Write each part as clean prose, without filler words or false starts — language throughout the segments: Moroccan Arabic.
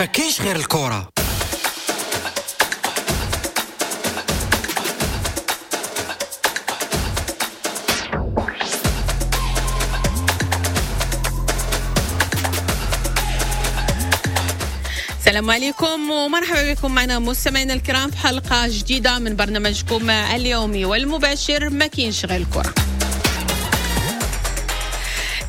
ما كاينش غير الكرة. السلام عليكم ومرحبا بكم معنا مستمعينا الكرام في حلقة جديدة من برنامجكم اليومي والمباشر ما كاينش غير الكرة.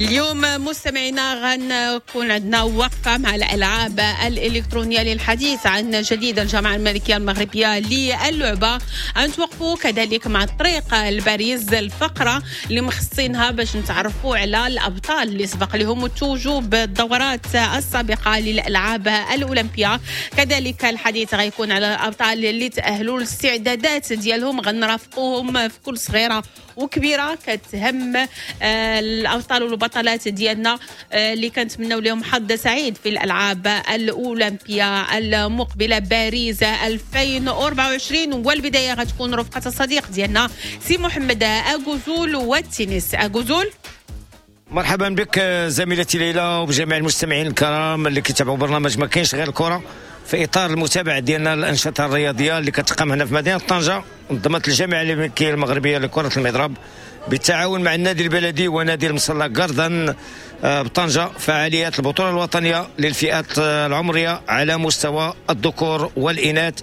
اليوم مستمعينا غنكون عندنا وقفة مع الألعاب الإلكترونية للحديث عن جديد الجامعة الملكية المغربية للعبة. غنتوقفوا كذلك مع الطريق الباريس، الفقرة اللي مخصصينها باش نتعرفوا على الأبطال اللي سبق لهم التوجوا بالدورات السابقة للألعاب الأولمبية. كذلك الحديث غيكون على الأبطال اللي تأهلوا للاستعدادات ديالهم، غنرافقوهم في كل صغيرة وكبيرة كتهم الأبطال والبطلات ديالنا اللي كنتمناو لهم حظ سعيد في الألعاب الأولمبية المقبلة باريس 2024. والبداية غتكون رفقة الصديق ديالنا سي محمد أغوزول والتنس. أغوزول، مرحبا بك زميلتي ليلى وبجميع المستمعين الكرام اللي كيتابعوا برنامج ما كاينش غير الكرة في اطار المتابعة ديالنا للانشطه الرياضية اللي كتقام هنا في مدينة طنجه. انظمت الجامعة الملكية المغربية لكرة المضرب بالتعاون مع النادي البلدي ونادي المصلى كاردن بطنجه فعاليات البطولة الوطنية للفئات العمرية على مستوى الذكور والاناث.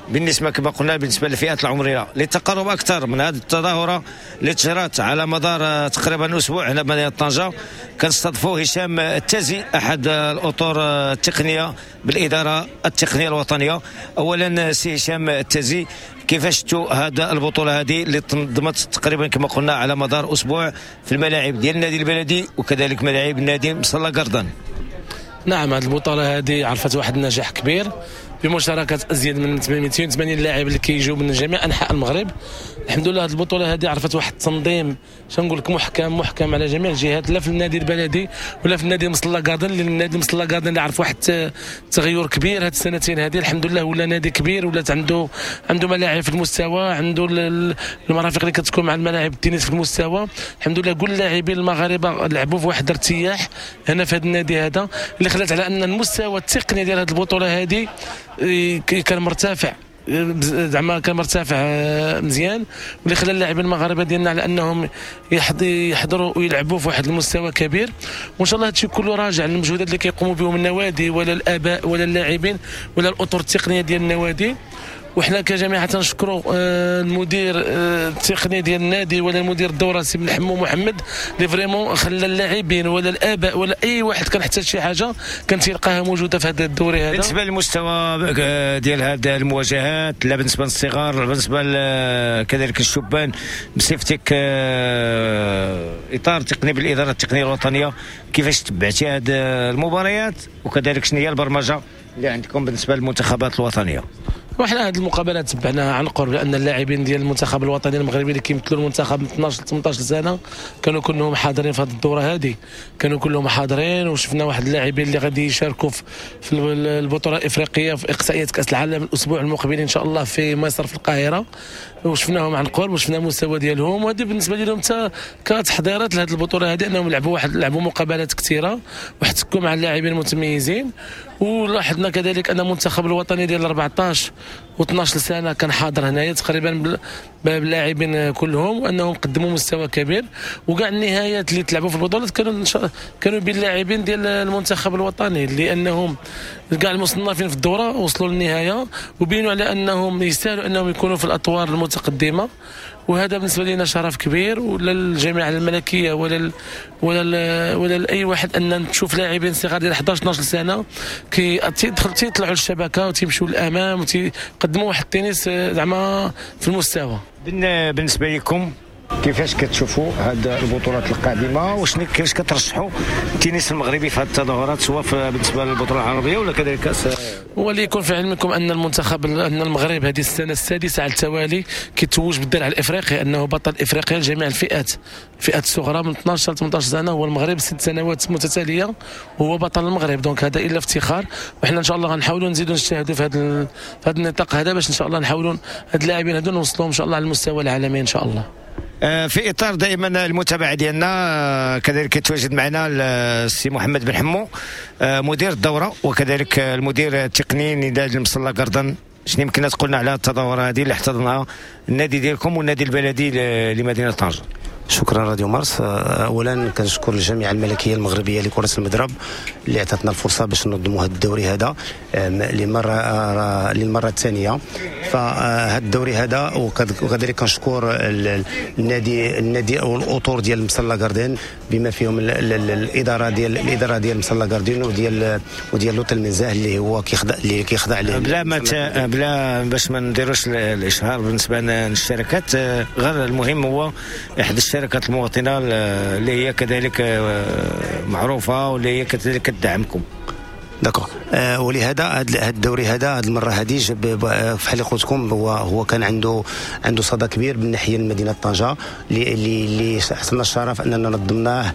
بالنسبة كما قلنا بالنسبة للفئات العمرية للتقرب اكثر من هذه التظاهرة اللي تجرات على مدار تقريبا اسبوع هنا بمدينة طنجه، كنستضيفوا هشام التازي احد الاطر التقنية بالادارة التقنية الوطنية. اولا سي هشام التازي، كيفاش شفتوا هذا البطولة هذه اللي تنظمت تقريبا كما قلنا على مدار اسبوع في الملاعب ديال النادي البلدي وكذلك ملاعب النادي مصلى كاردن؟ نعم، هذه البطولة هذه عرفت واحد النجاح كبير بمشاركة ازيد من 280 لاعب اللي كيجيو من جميع انحاء المغرب. الحمد لله هذه البطولة هذه عرفت واحد التنظيم شنقول لك محكم على جميع الجهات، لا في النادي البلدي ولا في النادي مصلى كاردن. لان النادي مصلى كاردن اللي عرف واحد التغير كبير هذه السنتين هذه، الحمد لله ولا نادي كبير، ولات عنده ملاعب في المستوى، عنده المرافق اللي كتكون مع الملاعب التنس في المستوى. الحمد لله كل اللاعبين المغاربة لعبوا في واحد الارتياح هنا في هذا النادي هذا، اللي خلات على ان المستوى التقني ديال هذه البطولة هذه كان مرتفع، زعما كان مرتفع مزيان، واللي خلى اللاعبين المغاربة ديالنا على انهم يحضروا ويلعبوا في واحد المستوى كبير. وان شاء الله هادشي كله راجع للمجهودات اللي كيقوموا بهم النوادي ولا الاباء ولا اللاعبين ولا الاطر التقنية ديال النوادي. وحنا كجامعه تنشكروا المدير التقني ديال النادي ولا المدير الدورة سي بن حمو محمد اللي vraiment خلى اللاعبين ولا الاباء ولا اي واحد كان احتاج شي حاجة كان تلقاها موجودة في هذا الدوري هذا. بالنسبة للمستوى ديال هذه المواجهات، لا بالنسبة للصغار لا بالنسبة كذلك الشبان، بصفتك اطار تقني بالادارة التقنية الوطنية، كيفاش تبعتي هذه المباريات وكذلك شنو هي البرمجة اللي عندكم بالنسبة للمنتخبات الوطنية؟ وحنا هذه المقابلات تبعناها عن قرب، لان اللاعبين ديال المنتخب الوطني المغربي اللي كيمثلوا المنتخب من 12 ل 18 سنة كانوا كلهم حاضرين في هذه الدورة هذه، كانوا كلهم حاضرين. وشفنا واحد اللاعبين اللي غادي يشاركوا في البطولة الافريقية في اقصائيات كاس العالم الاسبوع المقبل ان شاء الله في مصر في القاهرة، وشفناهم عن قرب وشفنا المستوى ديالهم. وهذه بالنسبة لهم حتى كتحضيرات لهذه البطولة هذه، انهم لعبوا مقابلات كثيرة واحتكوا مع اللاعبين المتميزين. ولاحظنا كذلك ان المنتخب الوطني ديال 14 و12 سنة كان حاضر هنايا تقريبا باللاعبين كلهم، وانهم قدموا مستوى كبير. وكاع النهايات اللي تلعبوا في البطولات كانوا بين اللاعبين ديال المنتخب الوطني، لانهم كاع المصنفين في الدورة وصلوا للنهاية وبينوا على انهم يستاهلوا انهم يكونوا في الاطوار المتقدمة. وهذا بالنسبة لنا شرف كبير، ولا للجامعة الملكية ولا ولا ولا لاي واحد ان نشوف لاعبين صغار ديال 11 12 سنة كيطلعوا للشبكه وتيمشوا للامام وتيقدموا واحد التنس زعما في المستوى. بالنسبة لكم كيفاش كتشوفوا هاد البطولات القادمة وشنو كيفاش كترشحوا التنس المغربي في هاد التظاهرات، سواء بالنسبة للبطولة العربية ولا كذلك كاس؟ وليكن في علمكم ان المنتخب ان المغرب هذه السنة السادسة على التوالي كيتوج بالدرع الافريقي، انه بطل افريقيا لجميع الفئات، الفئات الصغرى من 12 ل 18 سنة هو المغرب 6 سنوات متتالية وهو بطل المغرب. donc هذا الا افتخار، وحنا ان شاء الله غنحاولوا نزيدوا نجتهدوا في هذا النطاق هذا باش ان شاء الله نحاولوا هاد اللاعبين هادو نوصلوهم ان شاء الله على المستوى العالمي ان شاء الله. في اطار دائما المتابعة ديالنا، كذلك يتواجد معنا السي محمد بن حمو، مدير الدورة وكذلك المدير التقني لنادي المصلى جاردن. شنو يمكن تقولنا على التظاهرة هذه اللي احتضنها النادي ديالكم والنادي البلدي لمدينة طنجه؟ شكرا راديو مارس. اولا كنشكر الجامعة الملكية المغربية لكرة المضرب اللي عطاتنا الفرصة باش ننظموا هذا الدوري هذا للمرة الثانية. فهذا الدوري هذا، وكذلك كنشكر النادي او الاطر ديال المصلى جاردن بما فيهم الادارة ديال المصلى جاردن وديال l'hôtel المنزه اللي هو كيخضع بلا ما بلا باش ما نديروش الاشهار بالنسبة للشركات، غير المهم هو احدى الشركات المواطنة اللي هي كذلك معروفة واللي هي كذلك كتدعمكم. d'accord. ولهذا هذا الدوري هذا هذه المرة هذه بحال اللي قلت لكم هو كان عنده صدى كبير من ناحية مدينة طنجه اللي حصلنا الشرف اننا نظمناه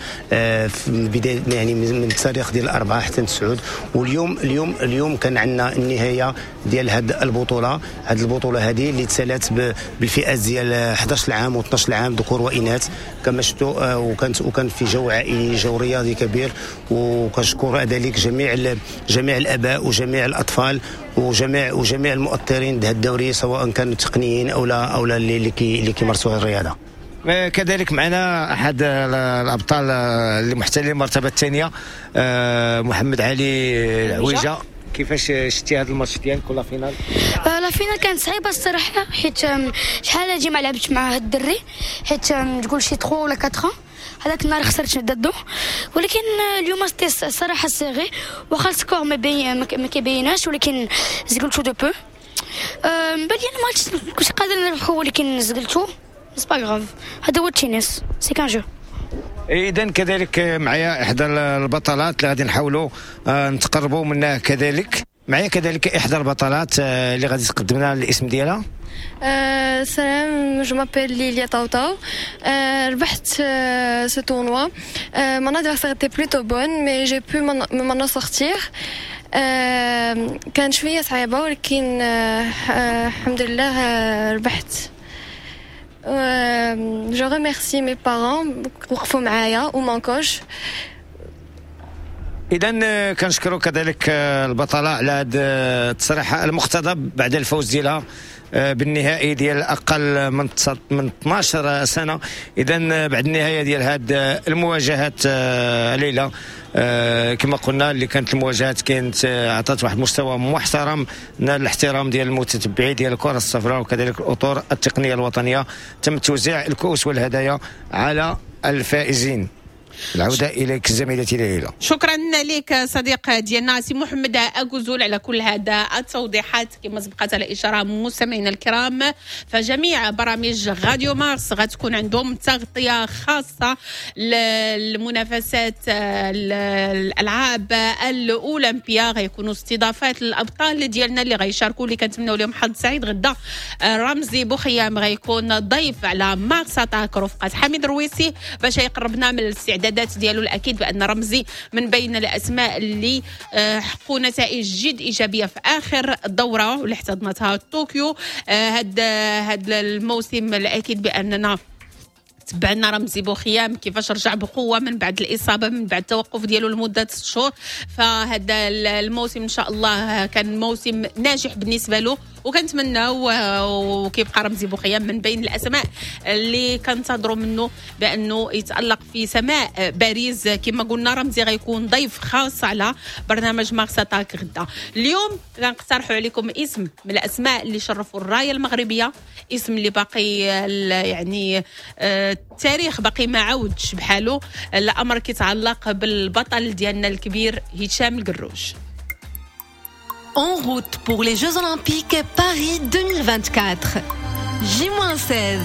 في بداية، يعني من التاريخ ديال 4 حتى 9. واليوم اليوم اليوم كان عندنا النهاية ديال هذه البطولة، هذه البطولة هذه اللي تسالات بالفئات ديال 11 عام و12 عام ذكور واناث كما شفتوا، وكان في جو عائلي، جو رياضي كبير. وكنشكر ذلك جميع الاباء وجميع الاطفال وجميع المؤطرين لهذا الدوري، سواء كانوا تقنيين او لا اللي كيمارسوا الرياضة. كذلك معنا احد الابطال اللي محتلين المرتبة الثانية، محمد علي العويجه. كيفاش شتي هذا الماتش ديالك ولا finale؟ la finale كانت صعيبة الصراحة، حيت شحال هادي ما لعبتش مع هاد الدري، حيت تقول شي 3 ولا 4 هذاك النهار خسرت ضده. ولكن اليوم c'était الصراحة serré، واخا ال score ما كيبيناش، ولكن زقلتو de peu. بان لي الماتش كنت قادر نربحو، ولكن زقلتو، c'est pas grave، هذا هو التنس، c'est qu'un jeu. اذا كذلك معايا احدى البطلات اللي غادي نحاولوا نتقربوا منها. كذلك معايا كذلك احدى البطلات اللي غادي تقدم لنا الاسم ديالها. سلام، je m'appelle Lilia Tautau. ربحت ce tournoi. Mon adversaire était plutôt bonne, mais j'ai pu m'en sortir. كان شوية صعيبة، ولكن الحمد لله ربحت. Je remercie mes parents وقفوا معايا و mon coach. اذا كنشكروا كذلك البطلة على هذا التصريح المقتضب بعد الفوز ديالها بالنهائي ديال اقل من 12 سنة. اذا بعد النهاية ديال هذه المواجهات ليلى، كما قلنا اللي كانت المواجهات كانت عطات واحد المستوى محترم، نال الاحترام ديال المتتبعين ديال الكره الصفراء وكذلك الاطر التقنية الوطنية. تم توزيع الكؤوس والهدايا على الفائزين. العودة إليك زميلتي ليلى. شكرا لك صديق ديالنا سي محمد أكوزول على كل هذا التوضيحات. كما سبقت على إشارة مستمعينا الكرام، فجميع برامج راديو مارس غتكون عندهم تغطية خاصة للمنافسات الألعاب الأولمبية، غيكونوا استضافات للأبطال ديالنا اللي غيشاركوا، اللي كنتمناو لهم حظ سعيد. غدا رمزي بوخيام غيكون ضيف على Mars Attack رفقة حميد رويسي باش يقربنا من الاستعدادات ديالو. الاكيد بان رمزي من بين الاسماء اللي حققوا نتائج جد ايجابية في اخر دوره واللي احتضنتها طوكيو هذا الموسم. الاكيد باننا تبعنا رمزي بوخيام كيفاش رجع بقوة من بعد الاصابة، من بعد التوقف ديالو لمدة 6 شهور. فهذا الموسم ان شاء الله كان موسم ناجح بالنسبة له، وكنتمناو وكيبقى رمزي بوخيام من بين الاسماء اللي كنتظروا منه بانه يتالق في سماء باريس. كما قلنا رمزي غيكون ضيف خاص على برنامج Mars Attack غدا. اليوم غنقترحوا عليكم اسم من الاسماء اللي شرفوا الراية المغربية، اسم اللي باقي يعني التاريخ باقي ما عاودش بحاله. الامر كيتعلق بالبطل ديالنا الكبير هشام القروج. En route pour les Jeux Olympiques Paris 2024. J-16.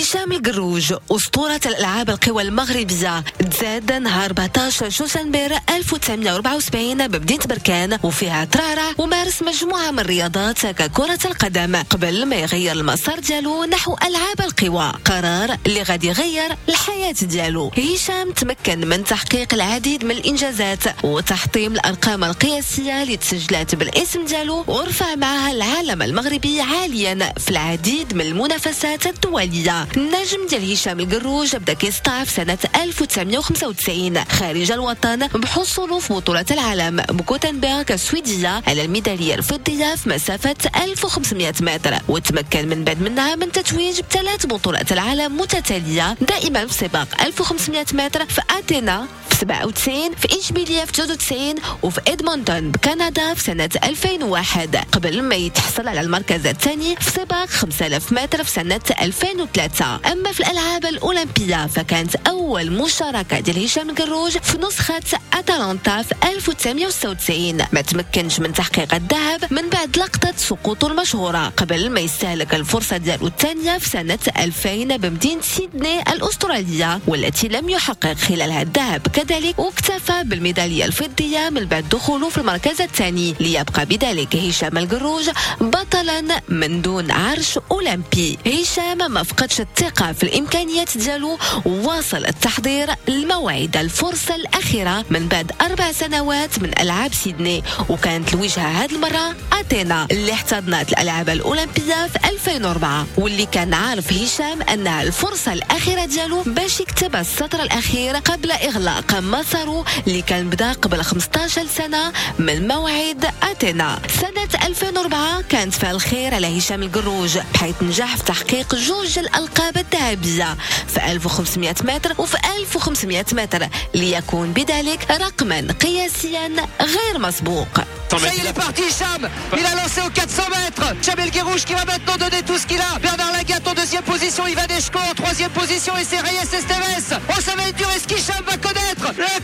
هشام القروج أسطورة الألعاب القوى المغربية، تزاد نهار 14 شوشنبير 1974 بمدينة بركان، وفيها ترعرع ومارس مجموعة من الرياضات ككرة القدم قبل ما يغير المسار ديالو نحو ألعاب القوى، قرار اللي غادي يغير الحياة ديالو. هشام تمكن من تحقيق العديد من الإنجازات وتحطيم الأرقام القياسية اللي تسجلت بالاسم ديالو، ورفع معها العالم المغربي عاليا في العديد من المنافسات الدولية. النجم ديال هشام القروج بدا كيسطع في سنة 1995 خارج الوطن بحصوله في بطولة العالم بغوتنبرغ السويدية على الميدالية الفضية في مسافة 1500 متر، وتمكن من بعد منها من تتويج بثلاث بطولات العالم متتالية دائما في سباق 1500 متر في أثينا في 97، في إشبيلية في 93، وفي إدمونتون بكندا في سنة 2001، قبل ما يتحصل على المركز الثاني في سباق 5000 متر في سنة 2003. أما في الألعاب الأولمبية فكانت أول مشاركة ديال هشام القروج في نسخة أتلانتا في 1996، ما تمكنش من تحقيق الذهب من بعد لقطة سقوطه المشهورة قبل ما يستهلك الفرصة ديالو الثانية في سنة 2000 بمدينة سيدني الأسترالية، والتي لم يحقق خلالها الذهب كذلك، واكتفى بالميدالية الفضية من بعد دخوله في المركز الثاني، ليبقى بذلك هشام القروج بطلا من دون عرش أولمبي. هشام ما فقدش الثقة في الإمكانيات ديالو وواصل التحضير لموعد الفرصة الأخيرة من بعد 4 سنوات من ألعاب سيدني، وكانت الوجهة هذه المرة أثينا اللي احتضنت الألعاب الأولمبية في 2004، واللي كان عارف هشام أنها الفرصة الأخيرة ديالو باش يكتب السطر الأخير قبل إغلاق مساره اللي كان بدا قبل 15 سنة من موعد أثينا. سنة 2004 كانت فيها الخير على هشام القروج، بحيث نجح في تحقيق 2 الألقاب الذهبية في 1500 متر وفي 1500 متر، ليكون بذلك رقما قياسيا غير مسبوق. Ça y est, il est parti, Hicham. Il a lancé aux 400 mètres. Hicham El Guerrouj qui va maintenant donner tout ce qu'il a. Bernard Lagat en deuxième position, Ivan Eshko en troisième position et c'est Reyes Esteves. Oh, ça va être dur. Est-ce qu'Hicham va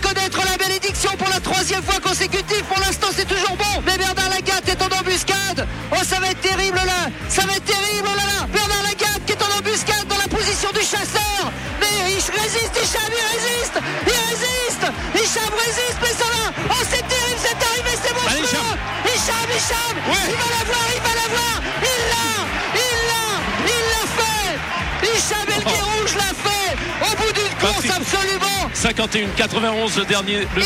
connaître la bénédiction pour la troisième fois consécutive? Pour l'instant, c'est toujours bon. Mais Bernard Lagat est en embuscade. Oh, ça va être terrible là. Ça va être terrible, oh là là. Bernard Lagat qui est en embuscade dans la position du chasseur. Mais il résiste, Hicham, il résiste. Il résiste. Hicham résiste, mais ça va. Oh, c'est terrible, c'est arrivé, c'est bon. Hicham, Hicham, ouais. Il va l'avoir, il va l'avoir, il l'a fait. Hicham El Guerrouj l'a fait au bout d'une course absolument. 51-91 le dernier de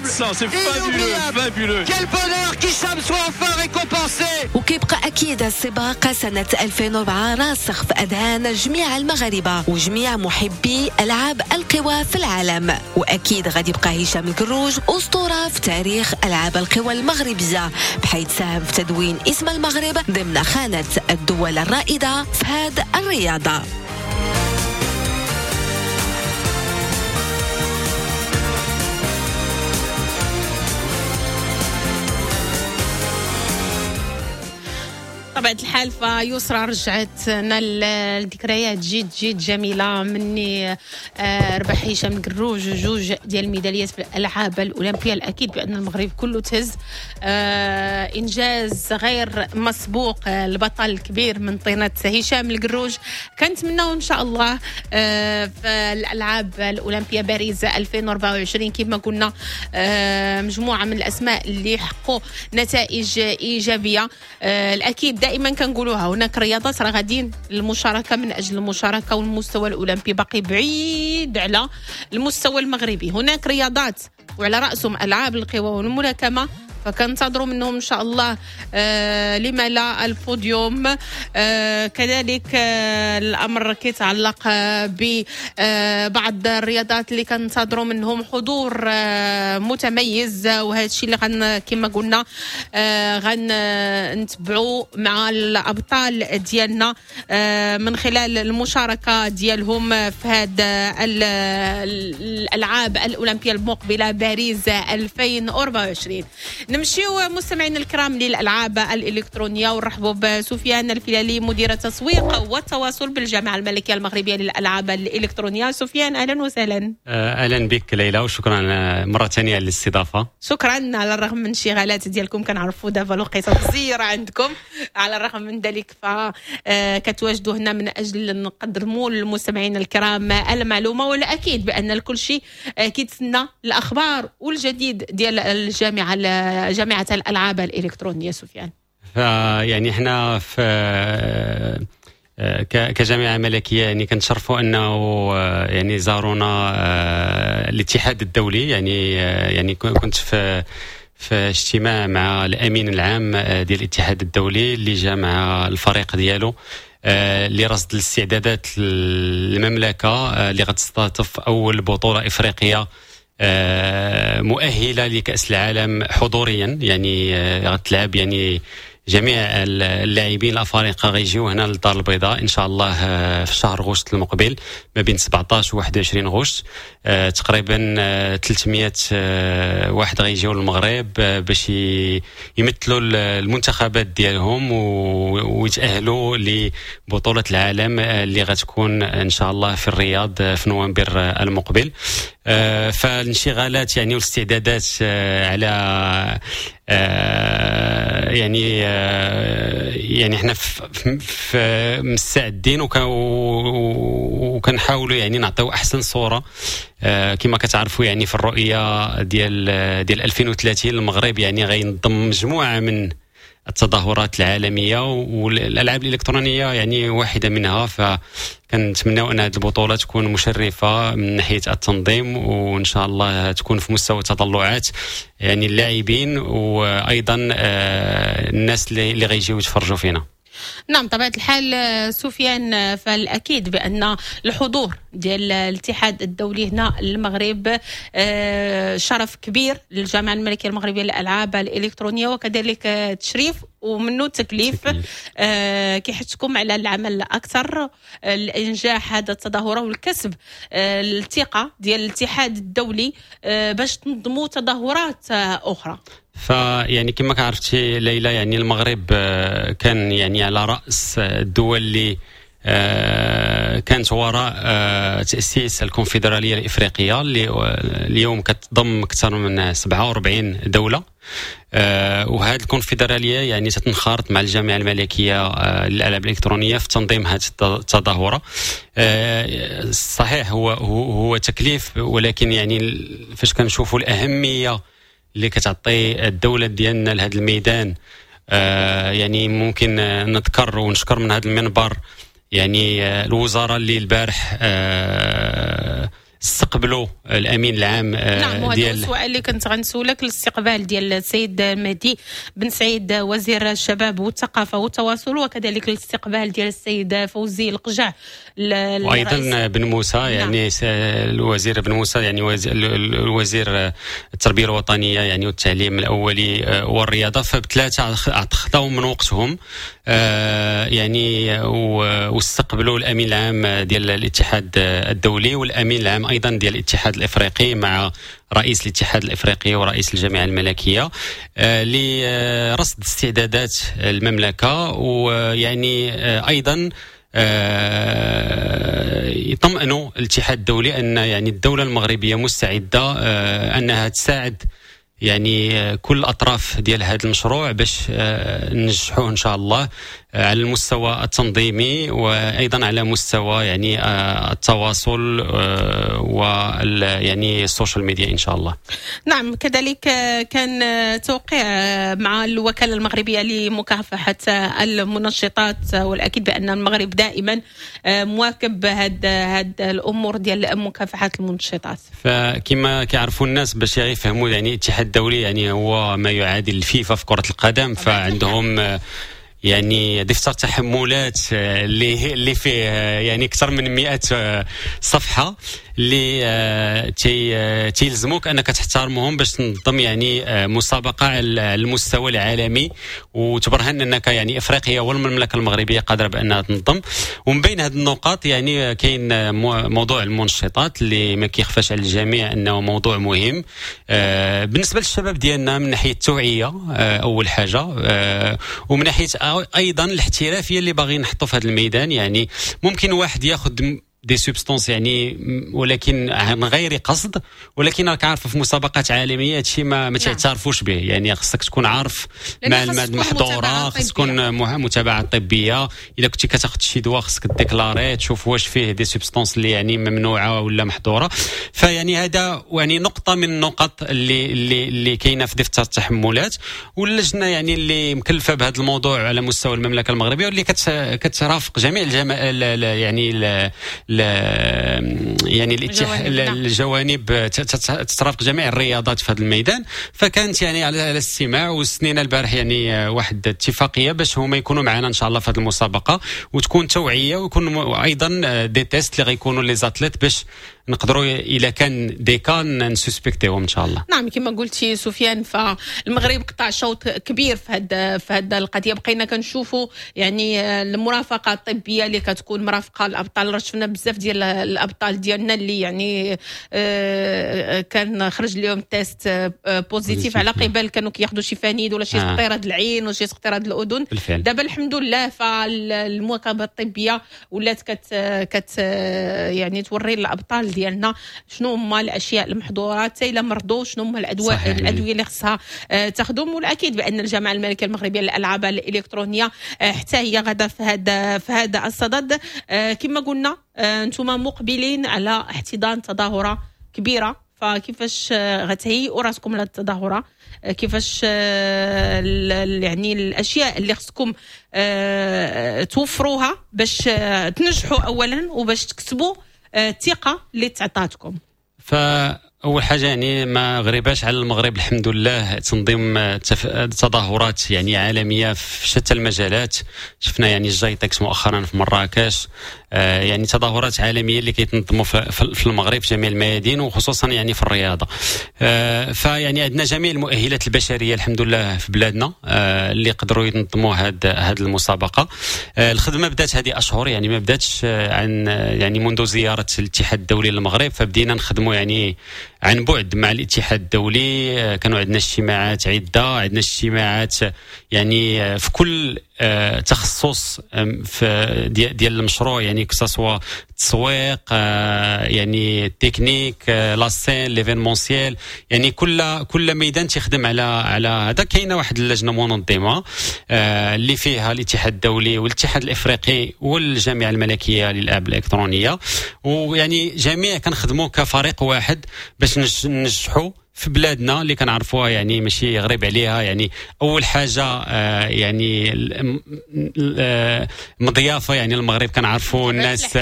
400, c'est fabuleux, fabuleux. Quel bonheur qu'Hicham soit enfin récompensé. وكيبقى أكيد السباق سنة 2004 راسخ في أذهان جميع المغاربة وجميع محبي ألعاب القوى في العالم، وأكيد غادي يبقى هشام القروج أسطورة في تاريخ ألعاب القوى المغربية، بحيث ساهم في تدوين اسم المغرب ضمن خانة الدول الرائدة في هذه الرياضة. طبيعة الحال فيسرى رجعت لنا الذكريات جد جد جميلة مني ربح هشام القروج 2 ديال الميداليات في الألعاب الأولمبية. الأكيد بأن المغرب كله تهز، إنجاز غير مسبوق، البطل الكبير من طينة هشام القروج. كنتمناو إن شاء الله في الألعاب الأولمبية باريس 2024 كما قلنا مجموعة من الأسماء اللي حققوا نتائج إيجابية. الأكيد دائما كنقولوها، هناك رياضات راه غاديين المشاركة من اجل المشاركة، والمستوى الاولمبي باقي بعيد على المستوى المغربي. هناك رياضات وعلى راسهم العاب القوى والملاكمه، فكنتظروا منهم ان شاء الله لما لا البوديوم. كذلك الامر كيتعلق ببعض الرياضات اللي كنتظروا منهم حضور متميز، وهذا الشيء اللي كما قلنا غنتبعوا مع الابطال ديالنا من خلال المشاركة ديالهم في هذا الالعاب الاولمبية المقبلة باريس 2024. نمشيو مستمعينا الكرام للالعاب الالكترونية ونرحبوا بسفيان الفيلالي، مدير التسويق والتواصل بالجامعة الملكية المغربية للالعاب الالكترونيه. سفيان، اهلا وسهلا. اهلا بك ليلى، وشكرا مرة ثانية على الاستضافه. شكرا. على الرغم من الانشغالات ديالكم، كنعرفوا دابا الوقيته مزيره عندكم، على الرغم من ذلك ف كتواجدوا هنا من اجل نقدموا للمستمعين الكرام المعلومه، والاكيد بان الكل شيء كيتسنى الاخبار والجديد ديال الجامعه، جامعه الالعاب الالكترونيه. سفيان. فيعني احنا في كجامعه ملكية يعني كنتشرفوا انه يعني زارونا الاتحاد الدولي. يعني كنت في اجتماع مع الامين العام ديال الاتحاد الدولي اللي جا مع الفريق ديالو لرصد الاستعدادات المملكة اللي غتستضيف اول بطوله افريقية مؤهلة لكاس العالم حضوريا. يعني غتلعب، يعني جميع اللاعبين الافارقة غيجيو هنا للدار البيضاء ان شاء الله في شهر غشت المقبل، ما بين 17 و 21 غشت. تقريبا 300 واحد غيجيو للمغرب باش يمثلوا المنتخبات ديالهم ويتاهلوا لبطولة العالم اللي غتكون ان شاء الله في الرياض في نوفمبر المقبل. فالانشغالات يعني والاستعدادات على يعني احنا في مستعدين وكنحاولوا يعني نعطيو احسن صوره. كما كتعرفوا يعني في الرؤية ديال 2030 المغرب يعني غينظم مجموعة من التظاهرات العالميه، والالعاب الالكترونية يعني واحدة منها. فكنتمناو ان هذه البطولة تكون مشرفة من ناحية التنظيم، وان شاء الله تكون في مستوى تطلعات يعني اللاعبين وايضا الناس اللي غيجيو يتفرجوا فينا. نعم، طبيعة الحال سفيان، فالأكيد بأن الحضور ديال الاتحاد الدولي هنا المغرب شرف كبير للجامعة الملكية المغربية للألعاب الإلكترونية، وكذلك تشريف ومنه تكليف كيحثكم على العمل أكثر لإنجاح هذا التظاهرة والكسب الثقة ديال الاتحاد الدولي باش تنظموا تظاهرات أخرى. فيعني كما عرفتي ليلى، يعني المغرب كان يعني على رأس الدول اللي كانت وراء تأسيس الكونفدرالية الإفريقية اللي اليوم كتضم أكثر من 47 دولة. وهذه الكونفدرالية يعني تتنخرط مع الجامعة الملكية للألعاب الإلكترونية في تنظيم هذه التظاهرة. صحيح هو تكليف، ولكن يعني فاش كنشوفوا الأهمية اللي كتعطي الدولة ديالنا لهذا الميدان، يعني ممكن نذكر ونشكر من هذا المنبر يعني الوزارة اللي البارح استقبلوا الامين العام. نعم، وهذا السؤال اللي كنت غنسولك، الاستقبال ديال السيد مهدي بن سعيد وزير الشباب والثقافة والتواصل، وكذلك الاستقبال ديال السيد فوزي القجع. وايضا بن موسى. نعم. يعني الوزير بن موسى، يعني الوزير التربية الوطنية يعني والتعليم الاولي والرياضه، فبثلاثه خداو من وقتهم يعني واستقبلوا الامين العام ديال الاتحاد الدولي والامين العام ايضا ديال الاتحاد الافريقي مع رئيس الاتحاد الافريقي ورئيس الجامعة الملكية لرصد استعدادات المملكه، ويعني ايضا يطمئنوا الاتحاد الدولي ان يعني الدولة المغربية مستعدة انها تساعد يعني كل الاطراف ديال هذا المشروع باش ننجحوه ان شاء الله على المستوى التنظيمي وايضا على مستوى يعني التواصل وال يعني ال social media ان شاء الله. نعم، كذلك كان توقيع مع الوكالة المغربية لمكافحة المنشطات، والاكيد بان المغرب دائما مواكب هاد الامور ديال مكافحة المنشطات. فكما كيعرفوا الناس باش يفهموا، يعني الاتحاد الدولي يعني هو ما يعادل الفيفا في كره القدم، فعندهم يعني دفتر تحملات اللي فيه يعني اكثر من 100 صفحه. اللي تيلزموك انك تحترمهم باش تنظم يعني مسابقة على المستوى العالمي وتبرهن انك يعني افريقيا والمملكة المغربية قادرة بانها تنظم. ومن بين هذه النقاط يعني كاين موضوع المنشطات اللي ما كيخفاش على الجميع انه موضوع مهم بالنسبة للشباب ديالنا من ناحية التوعية اول حاجة، ومن ناحية ايضا الاحترافية اللي باغيين نحطوا في هذا الميدان. يعني ممكن واحد ياخذ des substances يعني ولكن عن غير قصد، ولكن راك عارف في مسابقات عالمية هادشي ما تعترفوش به، يعني خصك تكون عارف مع المادة المحظوره، خص تكون متابعه طبية. الا كنتي كتاخذ شي دواء خصك déclarer تشوف واش فيه des substances اللي يعني ممنوعة ولا محظورة. فيعني هذا يعني نقطة من النقط اللي كاينه في دفتر التحملات، واللجنة يعني اللي مكلفة بهذا الموضوع على مستوى المملكة المغربية واللي كترافق جميع يعني يعني الجوانب تترافق جميع الرياضات في هذا الميدان. فكانت يعني على الاستماع، وسنينا البارح يعني واحد اتفاقية باش هما يكونوا معنا ان شاء الله في هذه المسابقة، وتكون توعيه ويكون ايضا des tests اللي غيكونوا les athlètes باش نقدروا الا كان des cas ن suspecter هم ان شاء الله. نعم كما قلتي سفيان، فالمغرب قطع شوط كبير في هذه القضية. بقينا كنشوفوا يعني المرافقة الطبية اللي كتكون مرافقة الابطال، راه شفنا بزاف ديال الابطال ديالنا اللي يعني كان خرج لهم test positif على قبل كانوا كياخذوا شي فانيد ولا شي سقطيره العين ولا شي سقطيره الاذن. دابا الحمد لله فالمواكبه الطبية ولات كت يعني توري الابطال ديالنا شنو هما الاشياء المحظورات، حتى الا مرضوا شنو هما الادوية اللي خصها تاخذهم. والاكيد بان الجامعة الملكية المغربية للالعاب الالكترونية حتى هي غادا في هذا الصدد. كما قلنا انتم مقبلين على احتضان تظاهرة كبيرة، فكيفاش غتهيئوا راسكم لهذه التظاهرة؟ كيفاش يعني الاشياء اللي خصكم توفروها باش تنجحوا اولا وباش تكسبوا الثقة اللي تعطاتكم؟ فاول حاجة يعني ما غريباش على المغرب الحمد لله تنظيم تظاهرات يعني عالمية في شتى المجالات. شفنا يعني الجايتكس مؤخرا في مراكش، يعني تظاهرات عالمية اللي كيتنظموا في المغرب في جميع الميادين وخصوصا يعني في الرياضة. فيعني عندنا جميع المؤهلات البشرية الحمد لله في بلادنا اللي قدروا ينظموا هاد المسابقة. الخدمة بدات هذه اشهر، يعني ما بداتش عن يعني منذ زيارة الاتحاد الدولي للمغرب، فبدينا نخدموا يعني عن بعد مع الاتحاد الدولي. كانوا عندنا اجتماعات عده، عندنا اجتماعات يعني في كل تخصص في ديال المشروع، يعني que ce soit التسويق، يعني ال technique، la scène، l'événementiel، يعني كل ميدان تيخدم على هذا. كاينه واحد اللجنة منظمة اللي فيها الاتحاد الدولي والاتحاد الافريقي والجامعة الملكية للالعاب الالكترونية، ويعني جميع كنخدموا كفريق واحد باش ننجحوا في بلادنا اللي كنعرفوها، يعني ماشي غريب عليها. يعني اول حاجة يعني مضيافه، يعني المغرب كنعرفوا الناس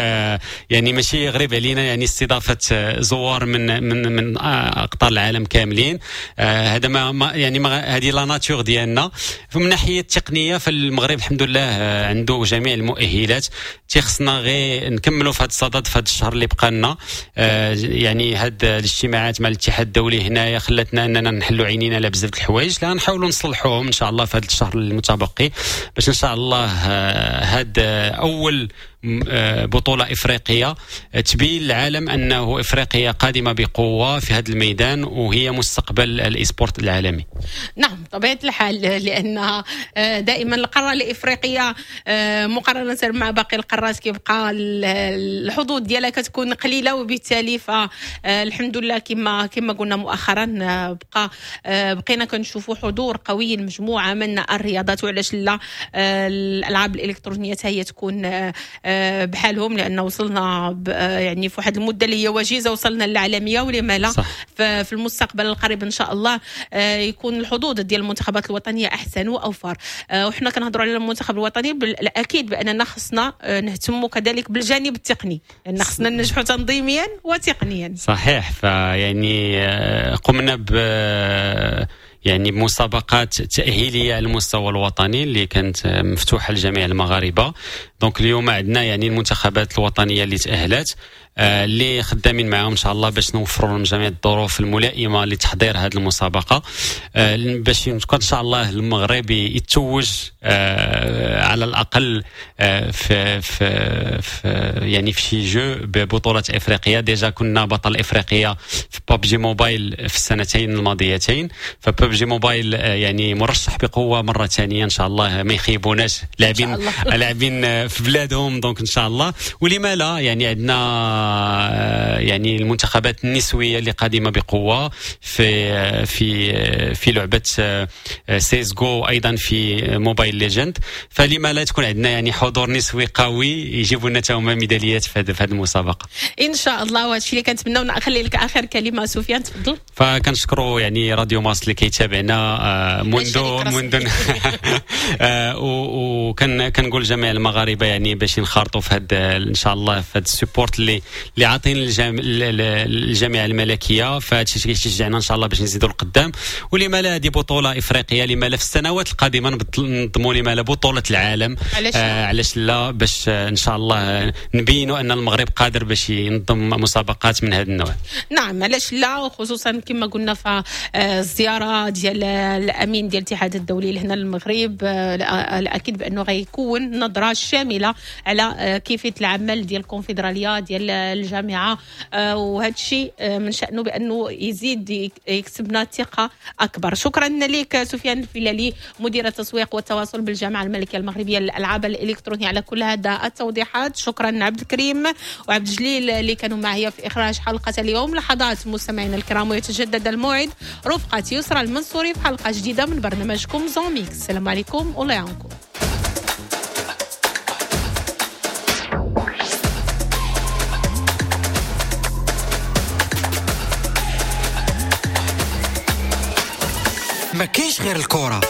يعني ماشي غريب علينا يعني استضافة زوار من من من اقطار العالم كاملين. هذا ما يعني هذه la nature ديالنا. فمن ناحية التقنية فالمغرب الحمد لله عنده جميع المؤهلات، تيخصنا غير نكملوا في هذا الصدد في هذا الشهر اللي بقى لنا. يعني هاد الاجتماعات مع الاتحاد الدولي هنا خلتنا اننا نحلوا عينينا على بزاف الحوايج لا نحاولوا نصلحوهم ان شاء الله في هذا الشهر المتبقي، باش ان شاء الله هاد اول بطولة إفريقية تبين للعالم أنه إفريقيا قادمة بقوة في هذا الميدان وهي مستقبل ال e-sport العالمي. نعم طبيعة الحال، لأن دائما القارة الإفريقية مقارنة مع باقي القارات كيبقى الحظوظ ديالها كتكون قليلة، وبالتالي فالحمد لله كما قلنا مؤخرا بقينا كنشوفوا حضور قوي لمجموعة من الرياضات، وعلاش لا الألعاب الإلكترونية هي تكون بحالهم، لان وصلنا يعني في واحد المدة اللي هي وجيزة وصلنا للعالمية، ولما لا في المستقبل القريب ان شاء الله يكون الحظوظ ديال المنتخبات الوطنية احسن واوفر. وحنا كنهضروا على المنتخب الوطني، الاكيد باننا خصنا نهتموا كذلك بالجانب التقني، لان خصنا ننجحوا تنظيميا وتقنيا. صحيح، فيعني قمنا ب يعني مسابقات تأهيلية على المستوى الوطني اللي كانت مفتوحة لجميع المغاربة. donc اليوم عندنا يعني المنتخبات الوطنية اللي تاهلت، اللي خدامين معاهم ان شاء الله باش نوفروا لهم جميع الظروف الملائمة لتحضير هذه المسابقة، باش ان شاء الله المغرب يتوج على الاقل في في في يعني في شي jeu ببطولة افريقيا. déjà كنا بطل افريقيا في PUBG Mobile في السنتين الماضيتين، ف PUBG Mobile يعني مرشح بقوة مرة ثانية ان شاء الله، ما يخيبوناش لاعبين في بلادهم. donc ان شاء الله ولما لا، يعني عندنا يعني المنتخبات النسوية اللي قادمة بقوة في في في لعبه سيس جو، ايضا في Mobile Legends، فلما لا تكون عندنا يعني حضور نسوي قوي يجيبوا لنا هما ميداليات في هذه المسابقة ان شاء الله. وهذا الشيء اللي كنتمناو. نخلي لك اخر كلمة سفيان، تفضل. فكنشكروا يعني راديو مارس اللي كيتابعنا منذ وكان كنقول جميع المغاربة يعني باش ينخرطوا في هذا ان شاء الله في هذا ال support اللي عاطين الجامعة الملكية، فهذا الشيء كيشجعنا ان شاء الله باش نزيدوا لقدام. ولما لا هذه بطوله افريقية، لما لا في السنوات القادمة ننظموا لما لا بطوله العالم، علاش لا، باش ان شاء الله نبينوا ان المغرب قادر باش ينظم مسابقات من هذا النوع. نعم علاش لا، وخصوصا كما قلنا في الزيارة ديال الامين ديال الاتحاد الدولي لهنا للمغرب، الاكيد بانه غيكون نظره شاملة على كيفية العمل ديال الكونفدراليه ديال الجامعة، وهذا الشيء من شأنه بانه يزيد يكسبنا ثقة اكبر. شكرا لك سفيان الفيلالي، مدير التسويق والتواصل بالجامعة الملكية المغربية للالعاب الالكترونية، على كل هذا التوضيحات. شكرا عبد الكريم وعبد الجليل اللي كانوا معي في اخراج حلقة اليوم. لحظات مستمعينا الكرام ويتجدد الموعد رفقه يسرى المنصوري في حلقة جديدة من برنامجكم Zone Mixte. السلام عليكم والله يعاونكم. ما كاينش غير الكرة.